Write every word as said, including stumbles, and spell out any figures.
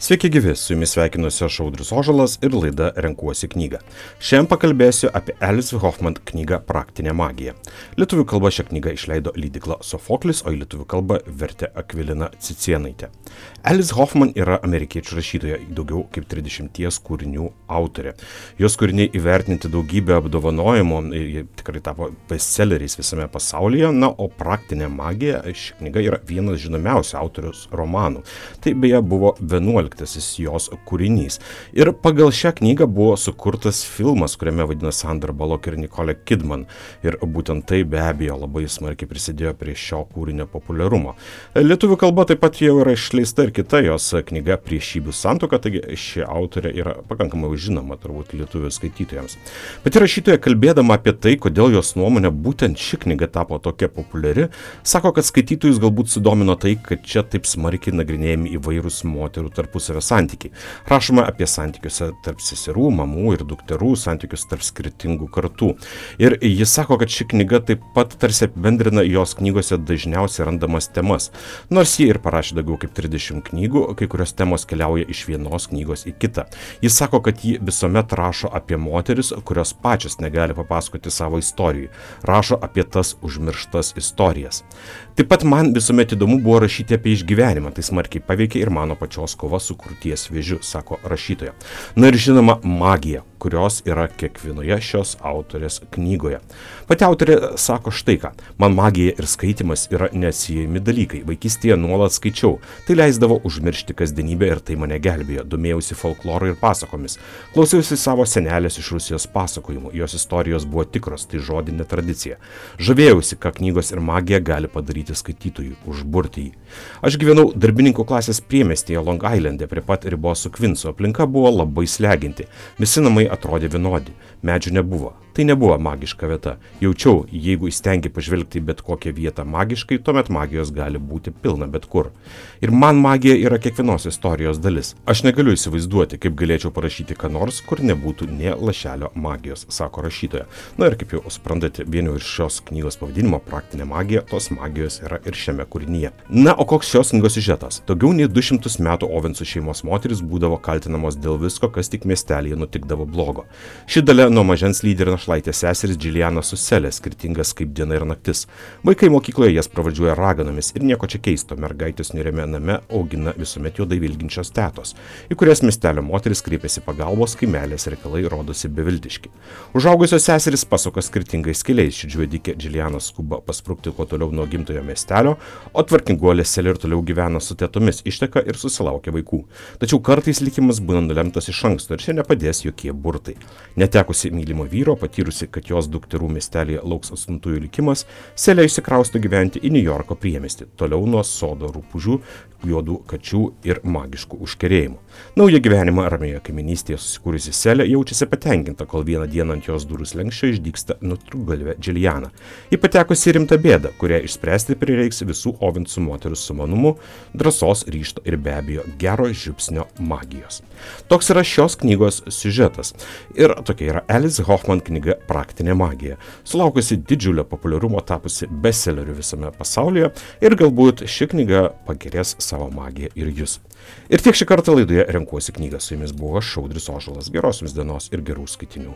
Sveiki gyvi, su jumis sveikinuosi aš Audrius Ožalas ir laida Renkuosi knygą. Šiandien pakalbėsiu apie Alice Hoffman knygą Praktinė magija. Lietuvių kalba šią knygą išleido leidykla Sofoklis, o į lietuvių kalbą vertė Akvilina Cicėnaitė. Alice Hoffman yra amerikiečių rašytoja, daugiau kaip trisdešimties kūrinių autorė. Jos kūriniai įvertinti daugybę apdovanojimų, jie tikrai tapo bestselleriais visame pasaulyje, na, o Praktinė magija ši knyga yra vienas žinomiausių autorius romanų. Tai beje buvo vienuoliktasis jos kūrinys. Ir pagal šią knygą buvo sukurtas filmas, kuriame vadina Sandra Bullock ir Nicole Kidman. Ir būtent tai be abejo labai smarkiai prisidėjo prie šio kūrinio populiarumo. Lietuvių kalba taip pat jau yra išleista ir kita jos knyga Priešybių santuoka, taigi ši autorė yra pakankamai žinoma turbūt lietuvių skaitytojams. Pati rašytoja, kalbėdama apie tai, kodėl jos nuomonė būtent ši knyga tapo tokia populiari, sako, kad skaitytojus galbūt sudomino tai, kad čia taip smarkiai nagrinėjami įvairūs moterų tarpusavio santykiai. Rašoma apie santykiuose tarp seserų, mamų ir dukterų, santykius tarp skirtingų kartų. Ir jis sako, kad ši knyga taip pat tarsi apibendrina jos knygose dažniausiai randamas temas. Nors ji ir parašė daugiau kaip trisdešimt knygų, kai kurios temos keliauja iš vienos knygos į kitą. Jis sako, kad ji visuomet rašo apie moteris, kurios pačios negali papasakoti savo istorijų. Rašo apie tas užmirštas istorijas. Taip pat man visuomet įdomu buvo rašyti apie išgyvenimą, tai smarkiai paveikė ir mano pačios kova su krūties vėžiu, sako rašytoja. Na ir žinoma, magija, kurios yra kiekvienoje šios autorės knygoje. Pati autorė sako štai ką, man magija ir skaitimas yra neatsiejami dalykai. Vaikystėje nuolat skaičiau, tai leisdavo užmiršti kasdienybę ir tai mane gelbėjo. Domėjausi folkloru ir pasakomis. Klausiausi savo senelės iš Rusijos pasakojimų, jos istorijos buvo tikros, tai žodinė tradicija. Žavėjausi, ką knygos ir magija gali padaryti skaitytojui, užburti jį. Aš gyvenau darbininkų klasės priemiestyje Long Islande prie pat ribos su Kvinsu. Aplinka buvo labai sleginti. Visi namai atrodė vienodi. Medžių nebuvo. Tai nebuvo magiška vieta. Jaučiau, jeigu įstengi pažvelgti bet kokią vietą magiškai, tuomet magijos gali būti pilna bet kur. Ir man magija yra kiekvienos istorijos dalis. Aš negaliu įsivaizduoti, kaip galėčiau parašyti ką nors, kur nebūtų nė lašelio magijos, sako rašytoja. Na ir kaip jau suprantate, vienu iš šios knygos pavadinimo Praktinė magija, tos magijos yra ir šiame kūrinyje. Na, o koks šios knygos siužetas? Daugiau nei du šimtus metų Ovensų šeimos moteris būdavo kaltinamos dėl visko, kas tik miestelyje nutikdavo blogo. Ši dalia nuo mažens lydi ir našlaitės seseris Džiliana su Selė, skirtingas kaip diena ir naktis. Vaikai mokykloje jas pravardžiuoja raganomis ir nieko čia keisto, mergaitės niūriame name augina visuomet juodai vilginčios tetos, į kurias miestelio moteris kreipiasi pagalbos, kai meilės reikalai rodosi beviltiški. Užaugusios seserys pasuka skirtingais keliais, ši džiuodikė Džiliana skuba pasprukti kuo toliau nuo gimtojo miestelio, o tvarkinguolė Selė ir toliau gyvena su tetomis, išteka ir susilaukia vaikų. Tačiau kartais likimas būna nulemtas iš anksto ir čia nepadės jokie burtai. Netekusi mylimo vyro, patyrusi, kad jos dukterų miestelėje lauks atstumtųjų likimas, Selė išsikrausto gyventi į Niujorko priemiestį, toliau nuo sodo rupūžių, juodų kačių ir magiškų užkerėjimų. Naują gyvenimą ramioje kaiminystėje susikūrusi Selė jaučiasi patenkinta, kol vieną dieną ant jos durų slenksčio išdygsta nutrūktgalvė Džiliana. Ji patekusi rimtą bėdą, kurią išspręsti prireiks visų Ovensų moterų sumanumu, drąsos, ryžto ir be abejo gero žiupsnio magijos. Toks yra šios knygos siužetas. Ir tokia yra Alice Hoffman knyga Praktinė magija, sulaukusi didžiulio populiarumo, tapusi bestselleriu visame pasaulyje ir galbūt ši knyga pagerės savo magiją ir jūs. Ir tiek šį kartą laidoje Renkuosi knygą. Su jumis buvo aš, Audrius Ožalas. Geros jums dienos ir gerų skaitinių.